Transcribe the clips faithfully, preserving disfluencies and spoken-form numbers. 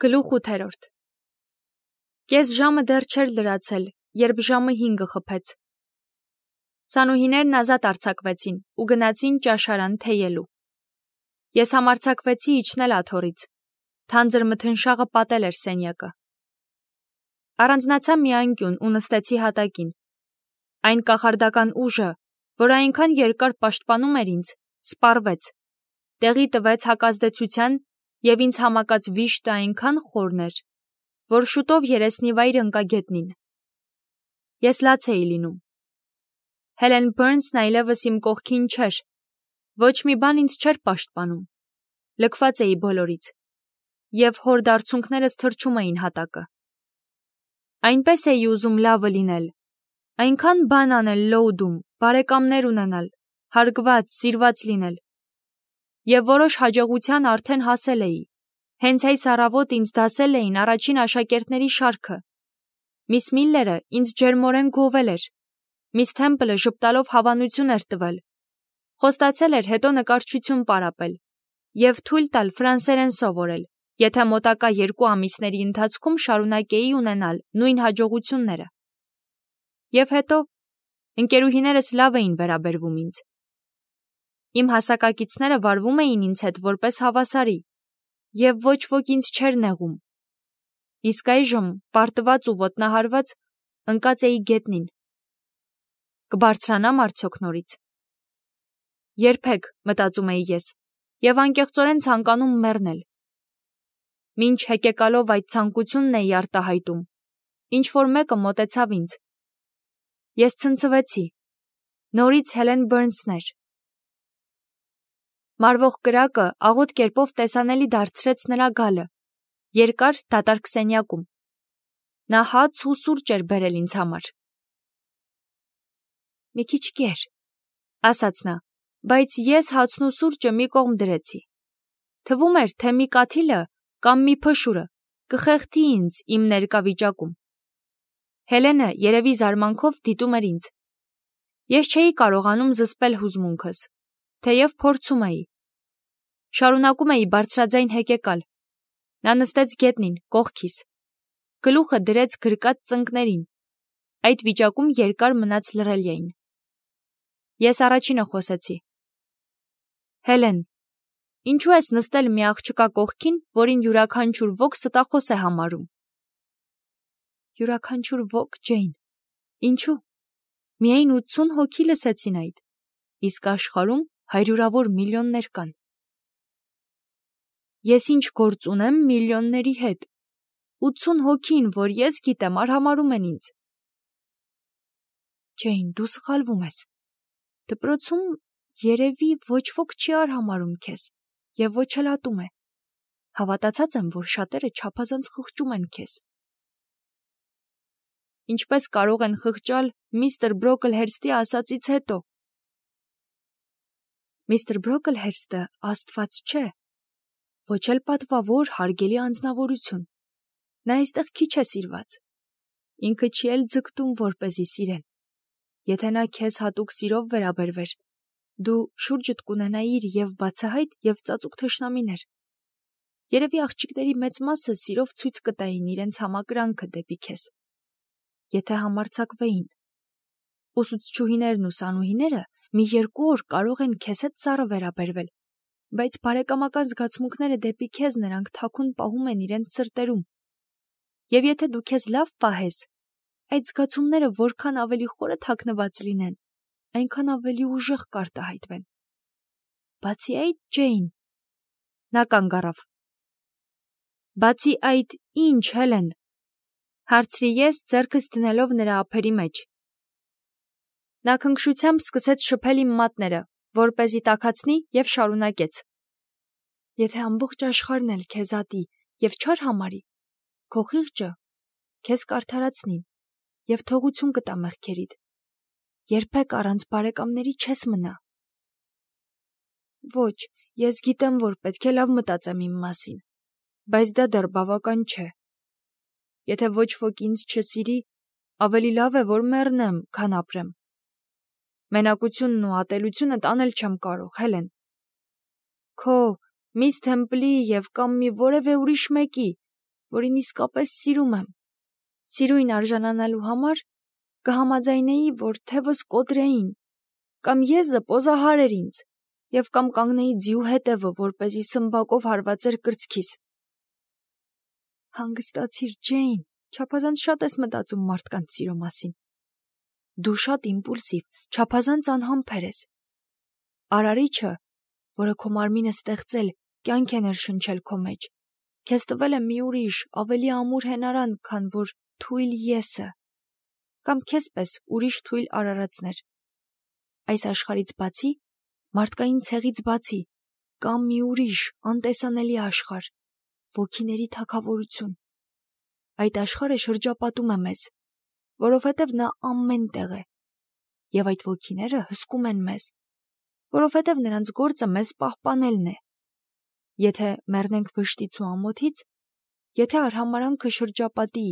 Գլուխ ութերորդ Կես ժամը դեռ չէր լրացել, երբ ժամը հինգը խփեց։ Սանուհիներն ազատ արձակվեցին ու գնացին ճաշարան թեյելու։ Ես համարձակվեցի իջնել աթոռից։ Թանձր մթնշաղը պատել էր սենյակը։ Առանձնացա մի անկյուն ու նստեցի հատակին։ Այն կախարդական ուժը, որ այնքան երկար պաշտպանում էր ինձ, սպառվեց, տեղի տվեց հակազդեցության և ինձ համակած վիշտը այնքան խորն էր, որ շուտով երեսնիվայր ընկա գետնին։ Ես լաց էի լինում։ Հելեն Բըրնսն այլևս իմ կողքին չէր, ոչ մի բան ինձ չէր պաշտպանում, լքված էի բոլորից, և հորդարձունքներս թրջում էին հատակը։ Այնպես էի ուզում լավը լինել, այնքան բան անել Լոուդում, բարեկամներ ունենալ, հարգված, սիրված լինել։ Եվ որոշ հաջողության արդեն հասել էի, հենց այս առավոտ ինձ դասել էին առաջին աշակերտների շարքը։ Միս Միլլերը ինձ ջերմորեն գովել էր, միս Թեմպլը ժպտալով հավանություն էր տվել, խոստացել էր հետո նկարչություն պարապել և թույլ տալ ֆրանսերեն սովորել, եթե մոտակա երկու ամիսների ընթացքում շարունակեի ունենալ նույն հաջողությունները։ Եվ հետո ընկերուհիներս լավ էին վերաբերվում ինձ։ Իմ հասակակիցները վարվում էին ինձ հետ որպես հավասարի, և ոչ ոք ինձ չէր նեղում։ Իսկ այժմ, պարտված ու ոտնահարված, ընկած էի գետնին։ Կբարձրանամ արդյոք նորից։ Երբեք, մտածում էի ես, և անկեղծորեն ցանկանում մեռնել։ Մինչ հեկեկալով այդ ցանկությունն էի արտահայտում, ինչ-որ մեկը մոտեցավ ինձ։ Ես ցնցվեցի։ Նորից Հելեն Բըրնսն էր։ Մարվող կրակը աղոտ կերպով տեսանելի դարձրեց նրա գալը, երկար դատարկ սենյակում։ Նա հաց ու սուրճ էր բերել ինձ համար։ Մի քիչ կեր, ասաց նա, բայց ես հացն ու սուրճը մի կողմ դրեցի։ Թվում էր, թե մի կաթիլը կամ մի փշուրը կխեղդի ինձ իմ ներկա վիճակում։ Հելենը երևի զարմանքով դիտում էր ինձ։ Ես չէի կարողանում զսպել հուզմունքս, թեև փորձում էի։ Շարունակում էի բարձրաձայն հեկեկալ։ Նա նստեց գետնին, կողքիս։ Գլուխը դրեց գրկած ծնկներին։ Այդ վիճակում երկար մնաց լռել էին։ Ես առաջինը խոսեցի. Հելեն, ինչու ես նստել մի աղջկա կողքին, որին յուրաքանչյուր ոք ստախոս է համարում։ Յուրաքանչյուր ոք, Ջեյն, ինչու։ Միայն ութսուն հոգի լսեցին այդ, իսկ աշխարհում հարյուրավոր միլիոններ կան։ Ես ինչ գործ ունեմ միլիոնների հետ։ ութսուն հոգին, որ ես գիտեմ, արհամարհում են ինձ։ Ջեյն, դու սխալվում ես։ Դպրոցում երևի ոչ ոք չի արհամարհում քեզ, և ոչ էլ ատում է։ Հավատացած եմ, որ շատերը չափազանց խղճում են քեզ։ Ինչպես կարող են խղճալ միստր Բրոքլհերստի ասածից հետո։ Միստր Բրոքլհերստը աստված չէ, ոչ էլ պատվավոր, հարգելի անձնավորություն։ Նա այստեղ քիչ է սիրված։ Ինքը չի էլ ձգտում, որպեսզի սիրեն։ Եթե նա քեզ հատուկ սիրով վերաբերվեր, դու շուրջդ կունենայիր և բացահայտ, և ծածուկ թշնամիներ։ Երևի աղջիկների մեծ մասը սիրով ցույց կտային իրենց համակրանքը դեպի քեզ։ Եթե համարձակվեին։ Ուսուցչուհիներն ու սանուհիները մի երկու օր կարող են քեզ հետ սառը վերաբերվել, բայց բարեկամական զգացմունքները դեպի քեզ նրանք թաքուն պահում են իրենց սրտերում։ Եվ եթե դու քեզ լավ պահես, այդ զգացումները որքան ավելի խորը թաքնված լինեն, այնքան ավելի ուժեղ կարտահայտվեն։ Բացի այդ, Ջեյն, նա կանգ առավ։ Բացի այդ, ինչ, Հելեն, հարցրի ես, ձեռքս դնելով նրա ափերի մեջ։ Նա քնքշությամբ սկսեց շփել իմ մատները, որպեսզի տաքացնի, և շարունակեց. Եթե ամբողջ աշխարհն էլ քեզ ատի և չարհամարհի, քո խիղճը քեզ կարդարացնի և թողություն կտա մեղքերիդ։ Երբեք առանց բարեկամների չես մնա։ Ոչ, ես գիտեմ, որ պետք է լավ մտածեմ իմ մասին, բայց դա դեռ բավական չէ։ Եթե ոչ ոք ինձ չսիրի, ավելի լավ է, որ մեռնեմ, քան ապրեմ։ Մենակությունն ու ատելությունը տանել չեմ կարող, Հելեն։ Քո, միս Թեմպլի և կամ մի որևէ ուրիշ մեկի, որին իսկապես սիրում եմ։ Սիրույն արժանանալու համար կհամաձայնեի, որ թևս կոտրեին, կամ եզը պոզահարեր ինձ, և կամ կանգնեի ձիու հետևը, որպեսզի սմբակով հարվածեր կրծքիս։ Հանգստացիր, Ջեյն, չափազանց շատ ես մտածում մարդկանց սիրո մասին։ Դու շատ իմպուլսիվ, չափազանց անհամբեր ես։ Արարիչը, որը քո մարմինը ստեղծել, կյանք է ներշնչել քո մեջ, քեզ տվել է մի ուրիշ, ավելի ամուր հենարան, քան որ թույլ եսը, կամ քեզ պես ուրիշ թույլ արարածներ։ Այս աշխարհից բացի, մարդկային ցեղից բացի, կամ մի ուրիշ, անտեսանելի աշխարհ, ոգիների թագավորություն։ Այդ աշխարհը շրջապատում է մեզ, որովհետև նա ամեն տեղ է, և այդ ոգիները հսկում են մեզ, որովհետև նրանց գործը մեզ պահպանելն է։ Եթե մեռնենք վշտից ու ամոթից, եթե արհամարանքը շրջապատի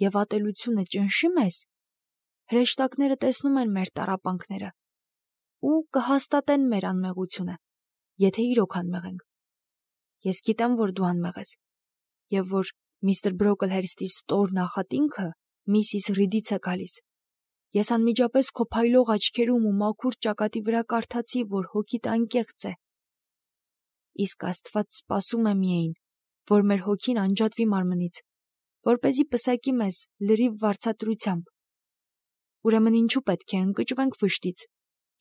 և ատելությունը ճնշի մեզ, հրեշտակները տեսնում են մեր տառապանքները ու կհաստատեն մեր անմեղությունը, եթե իրոք անմեղ ենք։ Ես գիտեմ, որ դու անմեղ ես, և որ միստր Բրոքլհերստի ստոր նախատինքը միսիս Ռիդից է գալիս։ Ես անմիջապես քո փայլող աչքերում ու մաքուր ճակատի վրա կարդացի, որ հոգիդ անկեղծ է։ Իսկ Աստված սպասում է միայն, որ մեր հոգին անջատվի մարմնից, որպեսզի պսակի մեզ լրիվ վարձատրությամբ։ Ուրեմն ինչու պետք է ընկճվենք վշտից,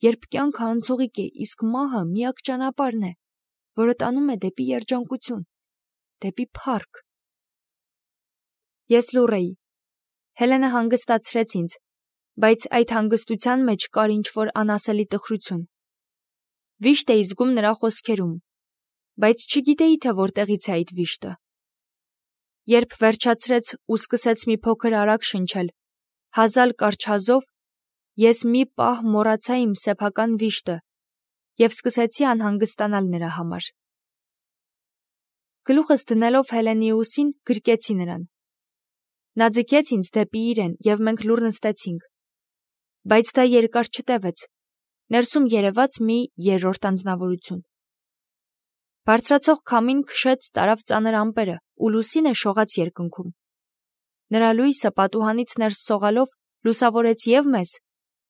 երբ կյանքը անցողիկ է, իսկ մահը միակ ճանապարհն է, որը տանում է դեպի երջանկություն, դեպի փառք։ Ես լուռ էի։ Հելենը հանգստացրեց ինձ, բայց այդ հանգստության մեջ կար ինչ-որ անասելի տխրություն։ Վիշտ էի զգում նրա խոսքերում, բայց չգիտեի, թե որտեղից է այդ վիշտը։ Երբ վերջացրեց ու սկսեց մի փոքր արագ շնչել, հազալ կարճ ես մի պահ մոռացա իմ սեփական վիշտը և սկսեցի անհանգստանալ նրա համար։ Գլուխս դնելով Հելենի ուսին, գրկեցի նրան։ Նա ձգեց ինձ դեպի իրեն, և մենք լուռ նստեցինք։ Բայց դա երկար չտևեց, ներսում երևաց մի երրորդ անձնավորություն։ Բարձրացող քամին քշեց տարավ ծանր ամպերը, ու լուսինը շողաց երկնքում։ Նրա լույսը պատուհանից ներս սողալով լուսավորեց և մեզ,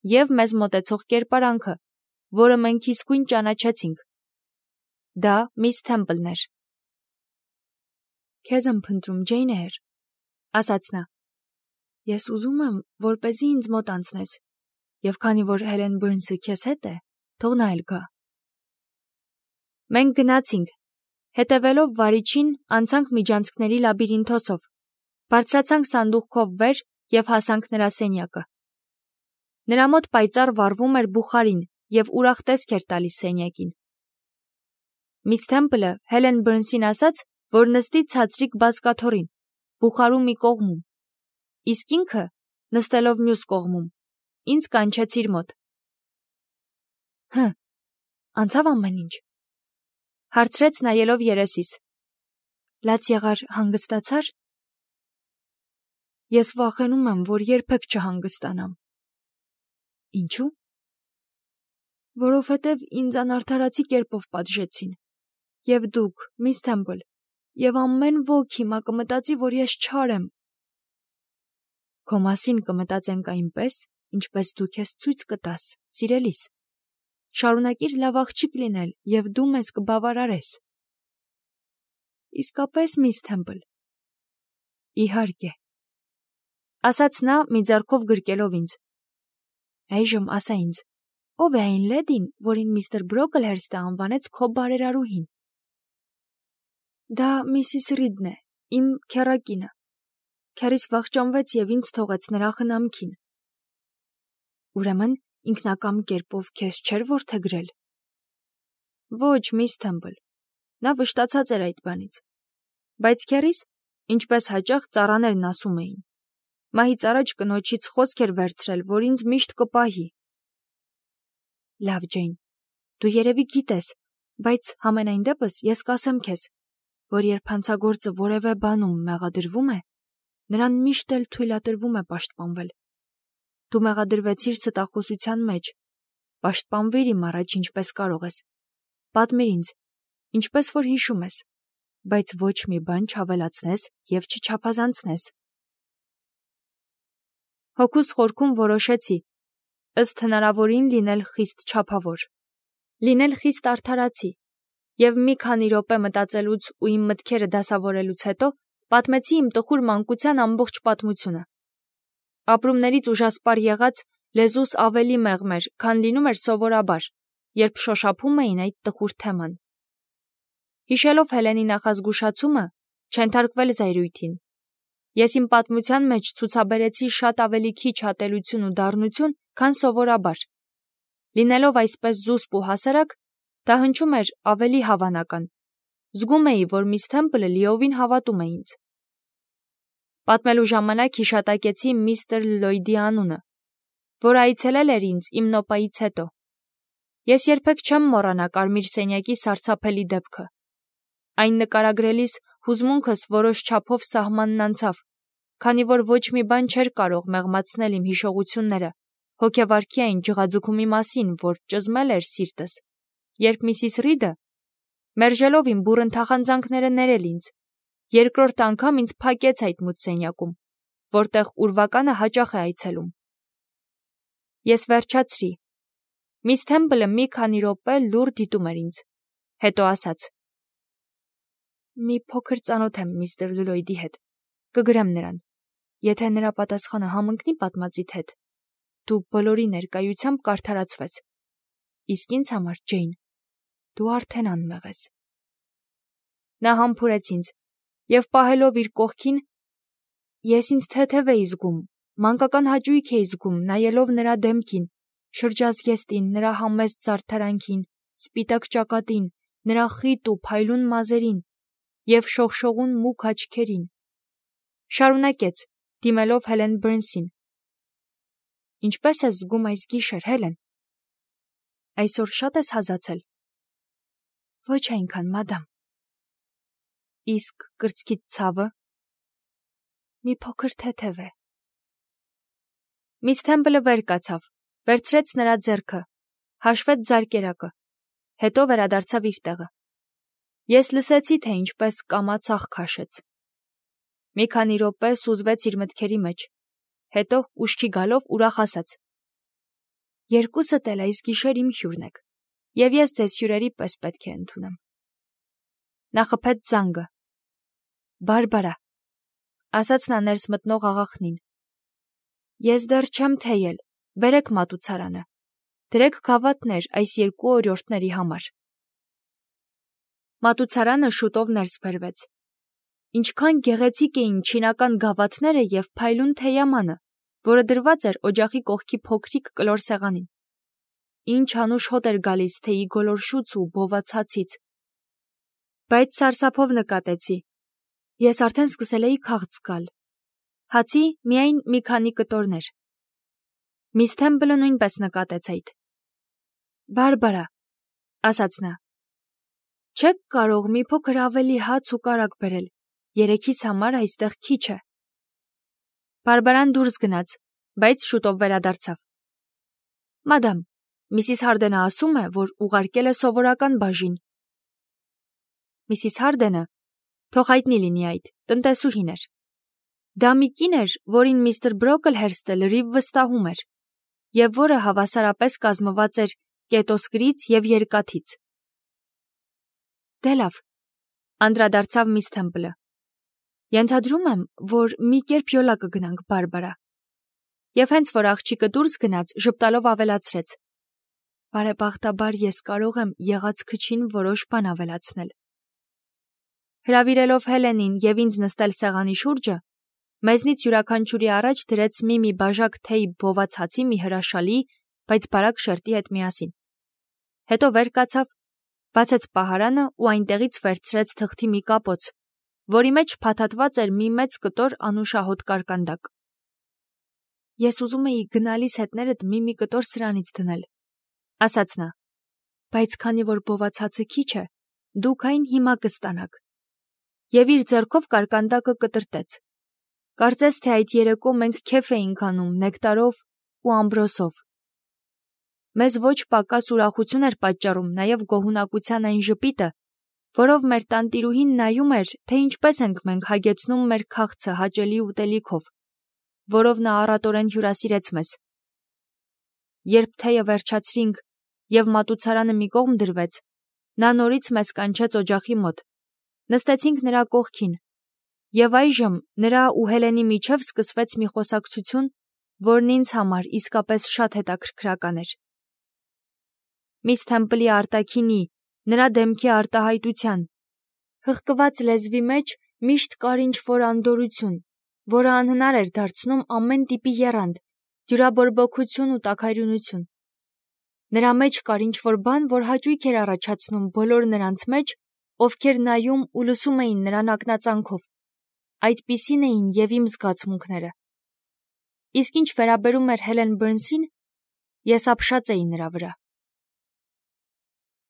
և մեզ մոտեցող կերպարանքը, որը մենք իսկույն ճանաչեցինք։ Դա միս Թեմպլն էր։ Քեզ եմ փնտրում, Ջեյնհեր, ասաց նա։ Ես ուզում եմ, որպեսզի ինձ մոտ անցնես, և քանի որ Հելեն Բըրնսը քեզ հետ է, թող նա էլ գա։ Մենք գնացինք, հետևելով վարիչին, անցանք միջանցքների լաբիրինթոսով, բարձրացանք սանդուղքով վեր և հասանք նրա սենյակը։ Նրա մոտ պայծառ վառվում էր բուխարին և ուրախ տեսք էր տալիս սենյակին։ Միս Թեմպլը Հելեն Բըրնսին ասաց, որ նստի ցածրիկ բազկաթոռին, բուխարու մի կողմում, իսկ ինքը, նստելով մյուս կողմում, ինձ կանչեց իր մոտ։ Հը, անցավ ամեն ինչ, հարցրեց նայելով երեսիս։ Լաց եղար, հանգստացար։ Ես վախենում եմ, որ երբեք չհանգստանամ։ Ինչու՞։ Որովհետև ինձ անարդարացի կերպով պատժեցին։ Եվ դուք, միս Թեմպլ, և ամեն ոք հիմա կմտածի, որ ես չար եմ։ Քո մասին կմտածենք այնպես, ինչպես դու քեզ ցույց կտաս, սիրելիս։ Շարունակիր լավ աղջիկ լինել, և դու մեզ կբավարարես։ Իսկապես, միս Թեմպլ։ Իհարկե, ասաց նա, մի ձեռքով գրկելով ինձ։ Այժմ ասա ինձ, ով է այն լեդին, որին միստր Բրոքլհերստը անվանեց քո բարերարուհին։ Դա միսիս Ռիդն է, իմ քեռակինը։ Քեռիս վախճանվեց և ինձ թողեց նրա խնամքին։ Ուրեմն ինքնակամ կերպով քեզ չէր որդեգրել։ Ոչ, միս Թեմպլ, նա վշտացած էր այդ բանից։ Բայց քեռիս, ինչպես հաճախ ծառաներն ասում էին, մահից առաջ կնոջից խոսք էր վերցրել, որ ինձ միշտ կպահի։ Լավ, Ջեյն, դու երևի գիտես, բայց համենայն դեպս ես կասեմ քեզ, որ երբ հանցագործը որևէ բանում մեղադրվում է, նրան միշտ էլ թույլատրվում է պաշտպանվել։ Դու մեղադրվեցիր ստախոսության մեջ, պաշտպանվիր իմ առաջ ինչպես կարող ես։ Պատմիր ինձ, ինչպես որ հիշում ես, բայց ոչ մի բան չավելացնես և չչափազանցնես։ Հոգուս խորքում որոշեցի, ըստ հնարավորին լինել խիստ չափավոր, լինել խիստ արդարացի, և մի քանի րոպե մտածելուց ու իմ մտքերը դասավորելուց հետո պատմեցի իմ տխուր մանկության ամբողջ պատմությունը։ Ապրումներից ուժասպառ եղած լեզուս ավելի մեղմ էր, քան լինում էր սովորաբար, երբ շոշափում էին այդ տխուր թեման։ Հիշելով Հելենի նախազգուշացումը, չենթարկվել զայրույթին, ես իմ պատմության մեջ ցուցաբերեցի շատ ավելի քիչ ատելություն ու դառնություն, քան սովորաբար։ Լինելով այսպես զուսպ ու հասարակ, դա հնչում էր ավելի հավանական։ Զգում էի, որ միս Թեմպլը լիովին հավատում է ինձ։ Պատմելու ժամանակ հիշատակեցի միստր Լլոյդի անունը, որ այցելել էր ինձ իմ նոպայից հետո։ Ես երբեք չեմ մոռանա կարմիր սենյակի սարսափելի դեպքը։ Այն նկարագրելիս հուզմունքս որոշ չափով սահմանն անցավ, քանի որ ոչ մի բան չէր կարող մեղմացնել իմ հիշողությունները հոգեվարքի այն ջղաձգումի մասին, որ ճզմել էր սիրտս, երբ միսիս Ռիդը, մերժելով իմ բուռն թախանձանքները ներել ինձ, երկրորդ անգամ ինձ փակեց այդ մութ սենյակում, որտեղ ուրվականը հաճախ է այցելում։ Ես վերջացրի։ Միս Թեմպլը մի քանի րոպե լուռ դիտում էր ինձ, հետո ասաց. «Մի փոքր ծանոթ եմ միստր Լլոյդի հետ, կգրեմ նրան, եթե նրա պատասխանը համընկնի պատմածիդ հետ, դու բոլորի ներկայությամբ կարդարացվես, իսկ ինձ համար, Ջեյն, դու արդեն անմեղ ես»։ Նա համբուրեց ինձ, և պահելով իր կողքին, ես ինձ թեթև էի զգում, մանկական հաճույք էի զգում, նայելով նրա դեմքին, շրջազգեստին, նրա համեստ զարդարանքին, սպիտակ ճակատին, նրա խիտ ու փայլուն մազերին և շողշողուն մուգ աչքերին։ Շարունակեց, դիմելով Հելեն Բըրնսին. «Ինչպե՞ս ես զգում այս գիշեր, Հելեն։ Այսօր շատ ես հազացել»։ «Ոչ այնքան, մադամ»։ «Իսկ կրծքիդ ցավը»։ «Մի փոքր թեթև է»։ Միս Թեմպլը վեր կացավ, վերցրեց նրա ձեռքը, հաշվեց զարկերակը, հետո վերադարձավ իր տեղը։ Ես լսեցի, թե ինչպես կամաց աղ քաշեց։ Մի քանի րոպե սուզվեց իր մտքերի մեջ, հետո ուշքի գալով ուրախ ասաց. «Երկուսդ էլ այս գիշեր իմ հյուրն եք, և ես ձեզ հյուրերի պես պետք է ընդունեմ»։ Նա խփեց զանգը։ «Բարբարա», ասաց նա ներս մտնող աղախնին, «ես դեռ չեմ թեյել, բերեք մատուցարանը, դրեք գավաթներ այս երկու օրիորդների համար»։ Մատուցարանը շուտով ներս բերվեց։ Ինչքան գեղեցիկ էին չինական գավաթները և փայլուն թեյամանը, որը դրված էր օջախի կողքի փոքրիկ կլոր սեղանին։ Ինչ անուշ հոտ էր գալիս թեյի գոլորշուց ու բոված հացից։ Բայց սարսափով նկատեցի. ես արդեն սկսել էի քաղց զգալ։ Հացի միայն մի քանի կտորներ։ Միս Թեմպլը նույնպես նկատեց այդ։ «Բարբարա», ասաց նա, «չեք կարող մի փոքր ավելի հաց ու կարագ բերել, երեքիս համար այստեղ քիչ է»։ Բարբարան դուրս գնաց, բայց շուտով վերադարձավ։ «Մադամ, միսիս Հարդենը ասում է, որ ուղարկել է սովորական բաժին»։ Միսիս Հարդենը, թող հայտնի լինի այդ, տնտեսուհին էր։ Դա մի կին էր, որին միստր Բրոքլհերստը լրիվ վստահում էր, և որը հավասարապես կազմված էր կետոսկրից և երկաթից։ «Դե լավ», անդրադարձավ միս Թեմպլը, «ենթադրում եմ, որ մի կերպ յոլա կգնանք, Բարբարա»։ Եվ հենց որ աղջիկը դուրս գնաց, ժպտալով ավելացրեց. «Բարեբախտաբար ես կարող եմ եղած քչին որոշ բան ավելացնել»։ Հրավիրելով Հելենին և ինձ նստել սեղանի շուրջը, մեզնից յուրաքանչյուրի առաջ դրեց մի-մի բաժակ թեյ բոված հացի մի հրաշալի, բայց բարակ շերտի հետ միասին։ Հետո վեր կացավ, բացեց պահարանը ու այնտեղից վերցրեց թղթի մի կապոց, որի մեջ փաթաթված էր մի մեծ կտոր անուշահոտ կարկանդակ։ «Ես ուզում էի գնալիս հետներդ մի-մի կտոր սրանից դնել», ասաց նա, «բայց քանի որ բոված հացը քիչ է, դուք այն հիմա կստանաք»։ Եվ իր ձեռքով կարկանդակը կտրտեց։ Կարծես թե այդ երեկո մենք քեֆ էինք անում նեկտարով ու ամբրոսով։ Մեզ ոչ պակաս ուրախություն էր պատճառում նաև գոհունակության այն ժպիտը, որով մեր տանտիրուհին նայում էր, թե ինչպես ենք մենք հագեցնում մեր քաղցը հաճելի ուտելիքով, որով նա առատորեն հյուրասիրեց մեզ։ Երբ թեյը վերջացրինք և մատուցարանը մի կողմ դրվեց, նա նորից մեզ կանչեց օջախի մոտ, նստեցինք նրա կողքին, և այժմ նրա ու Հելենի միջև սկսվեց մի խոսակցություն, որն ինձ համար իսկապես շատ հետաքրքրական էր։ Միս Թեմպլի արտաքինի, նրա դեմքի արտահայտության, հղկված լեզվի մեջ միշտ կար ինչ-որ անդորրություն, որը անհնար էր դարձնում ամեն տիպի եռանդ, դյուրաբորբոքություն ու տաքարյունություն։ Նրա մեջ կար ինչ-որ բան, որ հաճույք էր առաջացնում բոլոր նրանց մեջ, ովքեր նայում ու լսում էին նրան ակնածանքով։ Այդպիսին էին և իմ զգացմունքները։ Իսկ ինչ վերաբերում էր Հելեն Բըրնսին, ես ապշած էի նրա վրա։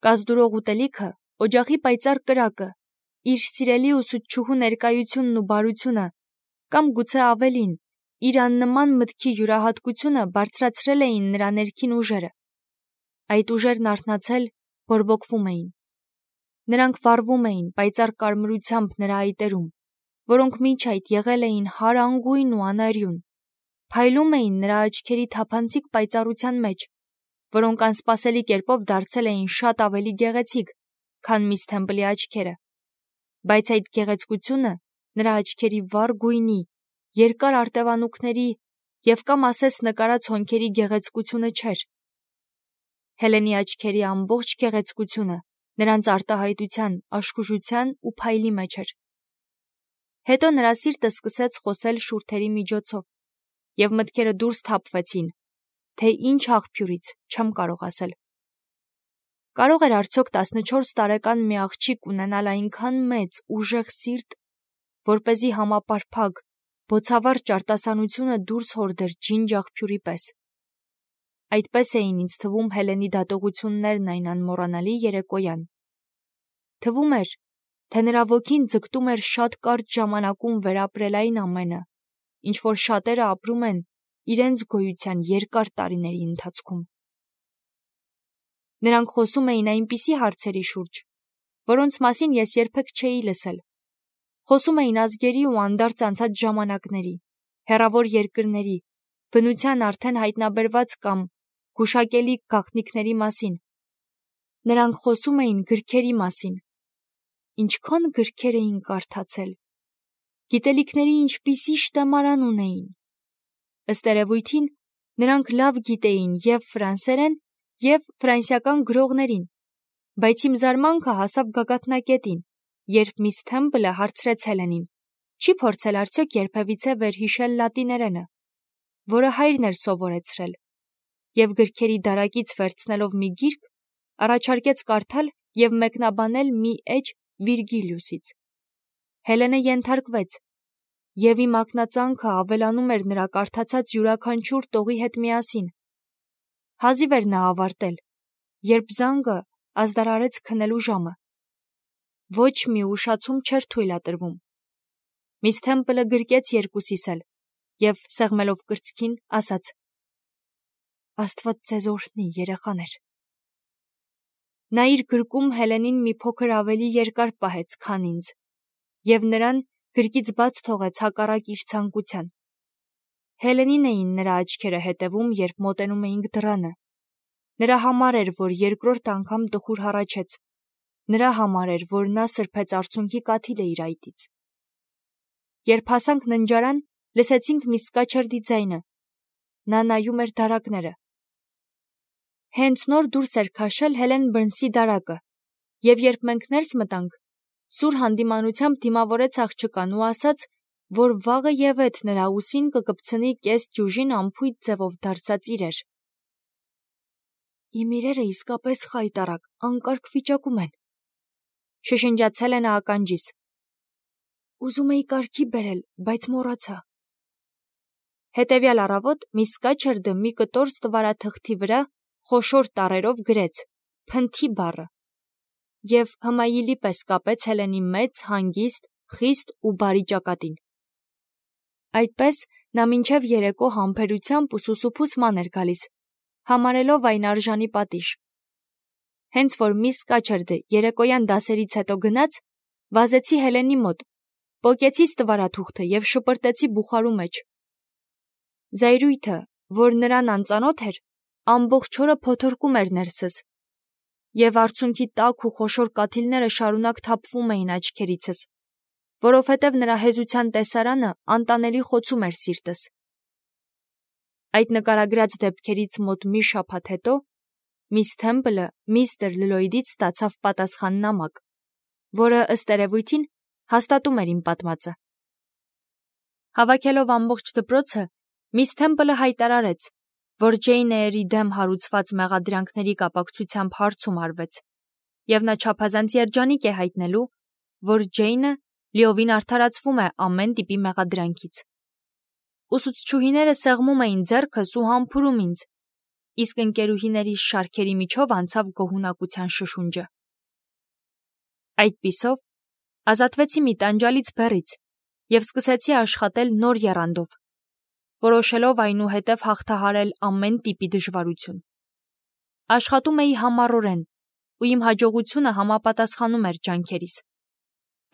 Կազդուրող ուտելիքը, օջախի պայծառ կրակը, իր սիրելի ուսուցչուհու ներկայությունն ու բարությունը, կամ գուցե ավելին, իր աննման մտքի յուրահատկությունը բարձրացրել էին նրա ներքին ուժերը։ Այդ ուժերն արթնացել, բորբոքվում էին։ Նրանք վառվում էին պայծառ կարմրությամբ նրա այտերում, որոնք մինչ այդ եղել էին հարանգույն ու անարյուն, փայլում էին նրա աչքերի թափանցիկ պայծառության մեջ, որոնք անսպասելի կերպով դարձել էին շատ ավելի գեղեցիկ, քան միս Թեմպլի աչքերը, բայց այդ գեղեցկությունը նրա աչքերի վառ գույնի, երկար արտևանուքների և կամ ասես նկարած հոնքերի գեղեցկությունը չէր։ Հելենի աչքերի ամբողջ գեղեցկությունը նրանց արտահայտության, աշխուժության ու փայլի մեջ էր։ Հետո նրա սիրտը սկսեց խոսել շուրթերի միջոցով, և մտքերը դուրս թափվեցին, թե ինչ աղբյուրից, չեմ կարող ասել։ Կարող էր արդյոք տասնչորս տարեկան մի աղջիկ ունենալ այնքան մեծ, ուժեղ սիրտ, որպեսզի համապարփակ, բոցավառ ճարտասանությունը դուրս հորդեր ջինջ աղբյուրի պես։ Այդպես էին ինձ թվում Հելենի դատողություններն այն անմոռանալի երեկոյան։ Թվում էր, թե նրա ոգին ձգտում էր շատ կարճ ժամանակում վերապրել այն ամենը, ինչ որ շատերը ապրում են իրենց գոյության երկար տարիների ընթացքում։ Նրանք խոսում էին այնպիսի հարցերի շուրջ, որոնց մասին ես երբեք չէի լսել։ Խոսում էին ազգերի ու անդարձ անցած ժամանակների, հեռավոր երկրների, բնության արդեն հայտնաբերված կամ գուշակելի գաղտնիքների մասին։ Նրանք խոսում էին գրքերի մասին։ Ինչքան գրքեր էին կարդացել։ Գիտելիքների ինչպիսի շտեմարան ունեին։ Ըստ երևույթին, նրանք լավ գիտեին և ֆրանսերեն, և ֆրանսիական գրողներին, բայց իմ զարմանքը հասավ գագաթնակետին, երբ միս Թեմպլը հարցրեց Հելենին. չի փորձել արդյոք երբևիցե վերհիշել լատիներենը, որը հայրն էր սովորեցրել, և գրքերի դարակից վերցնելով մի գիրք, առաջարկեց կարդալ և մեկնաբանել մի էջ Վիրգիլիուսից։ Հելենը ենթարկվեց, և իմ ակնածանքը ավելանում էր նրա կարդացած յուրաքանչյուր տողի հետ միասին։ Հազիվ էր նա ավարտել, երբ զանգը ազդարարեց քնելու ժամը։ Ոչ մի ուշացում չէր թույլատրվում։ Միս Թեմպլը գրկեց երկուսիս էլ և, սեղմելով կրծքին, ասաց. Աստված ձեզ օրհնի, երեխաներ։ Նա իր գրկում Հելենին մի փոքր ավելի երկար պահեց, քան ինձ, և նրան գրկից բաց թողեց հակառակ իր ցանկության։ Հելենին էին նրա աչքերը հետևում, երբ մոտենում էինք դռանը։ Նրա համար էր, որ երկրորդ անգամ տխուր հառաչեց։ Նրա համար էր, որ նա սրբեց արցունքի կաթիլը իր այտից։ Երբ հասանք ննջարան, լսեցինք միս Սկաչերդի ձայնը։ Նա նայում էր դարակները։ Հենց նոր դուրս էր քաշել Հելեն Բըրնսի դարակը, և երբ մենք ներս մտանք, սուր հանդիմանությամբ դիմավորեց աղջկան ու ասաց, որ վաղը ևեթ նրա ուսին կկպցնի կես դյուժին անփույթ ձևով դարձած իրեր։ Իմ իրերը իսկապես խայտառակ, անկարգ վիճակում են, շշնջաց Հելենը ականջիս։ Ուզում էի կարգի բերել, բայց մոռացա։ Հետևյալ առավոտ միս Սկաչերդը մի կտոր ստվարաթղթի վրա խոշոր տառերով գրեց «Փնթի» բառը և հմայիլի պես կապեց Հելենի մեծ, հանգիստ, խիստ ու բարի ճակատին։ Այդպես նա մինչև երեկո համբերությամբ ու սուսուփուս ման էր գալիս, համարելով այն արժանի պատիժ։ Հենց որ միս Սկաչերդը երեկոյան դասերից հետո գնաց, վազեցի Հելենի մոտ, պոկեցի ստվարաթուղթը և շպրտեցի բուխարու մեջ։ Զայրույթը, որ նրան անծանոթ էր, ամբողջ օրը փոթորկում էր ներսս, և արցունքի տաք ու խոշոր կաթիլները շարունակ թափվում էին աչքերիցս, որովհետև նրա հեզության տեսարանը անտանելի խոցում էր սիրտս։ Այդ նկարագրած դեպքերից մոտ մի շաբաթ հետո միս Թեմպլը միստր Լլոյդից ստացավ պատասխան նամակ, որը ըստ երևույթին հաստատում էր իմ պատմածը։ Հավաքելով ամբողջ դպրոցը, միս Թեմպլը հայտարարեց, որ Ջեյն Էյրի դեմ հարուցված մեղադրանքների կապակցությամբ հարցում արվեց, և նա չափազանց երջանիկ է հայտնելու, որ Ջեյնը լիովին արդարացվում է ամեն տիպի մեղադրանքից։ Ուսուցչուհիները սեղմում էին ձեռքս ու համբուրում ինձ, իսկ ընկերուհիներիս շարքերի միջով անցավ գոհունակության շշունջը։ Այդպիսով ազատվեցի մի տանջալից բեռից և սկսեցի աշխատել նոր եռանդով, որոշելով այնուհետև հաղթահարել ամեն տիպի դժվարություն։ Աշխատում էի համառորեն, ու իմ հաջողությունը համապատասխանում էր ջանքերիս։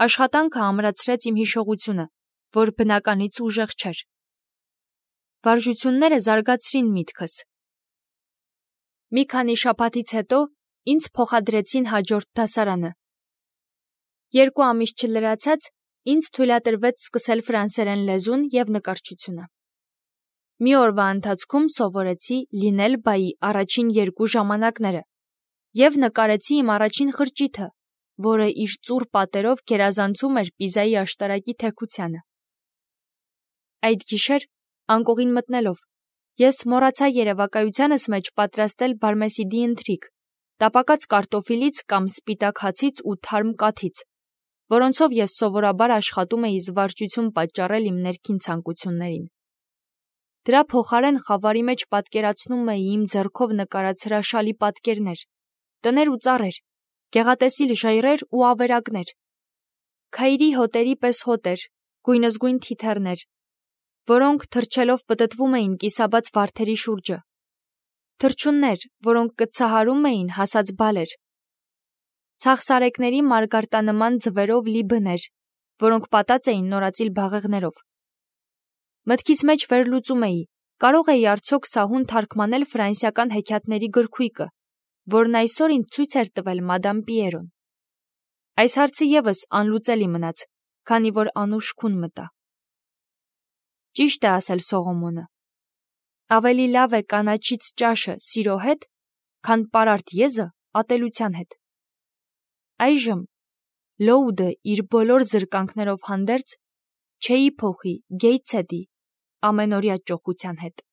Աշխատանքը ամրացրեց իմ հիշողությունը, որ բնականից ուժեղ չէր։ Վարժությունները զարգացրին միտքս։ Մի քանի շաբաթից հետո ինձ փոխադրեցին հաջորդ դասարանը։ Երկու ամիս չլրացած ինձ թույլատրվեց սկսել ֆրանսերեն լեզուն և նկարչությունը։ Մի օրվա ընթացքում սովորեցի լինել բայի առաջին երկու ժամանակները և նկարեցի իմ առաջին խրճիթը, որը իր ծուռ պատերով գերազանցում էր Պիզայի աշտարակի թեքությանը։ Այդ գիշեր, անկողին մտնելով, ես մոռացա երևակայությանս մեջ պատրաստել բարմեսիդի ընթրիք, տապակած կարտոֆիլից կամ սպիտակ հացից ու թարմ կաթից, որոնցով ես սովորաբար աշխատում էի զվարճություն պատճառել իմ ներքին ցանկություններին։ Դրա փոխարեն խավարի մեջ պատկերացնում էի իմ ձեռքով նկարած հրաշալի պատկերներ, տներ ու ծառեր, գեղատեսիլ ժայռեր ու ավերակներ, քայրի հոտերի պես հոտեր, գույնզգույն թիթեռներ, որոնք թռչելով պտտվում էին կիսաբաց վարդերի շուրջը, թռչուններ, որոնք կծահարում էին հասած բալեր, ցախսարեկների մարգարտանման ձվերով լի բներ, որոնք պատած էին նորածիլ բաղեղներով։ Մտքիս մեջ վերլուծում էի, կարող էի արդյոք սահուն թարգմանել ֆրանսիական հեքիաթների գրքույկը, որն այսօր ինձ ցույց էր տվել մադամ Պիերոն։ Այս հարցը ևս անլուծելի մնաց, քանի որ անուշ քուն մտա։ Ճիշտ է ասել Սողոմոնը. ավելի լավ է կանաչից ճաշը սիրո հետ, քան պարարտ եզը ատելության հետ։ Այժմ Լոուդը իր բոլոր զրկանքներով հանդերձ չէի փոխի Գեյթսեդի ամենօրյա ճոխության հետ։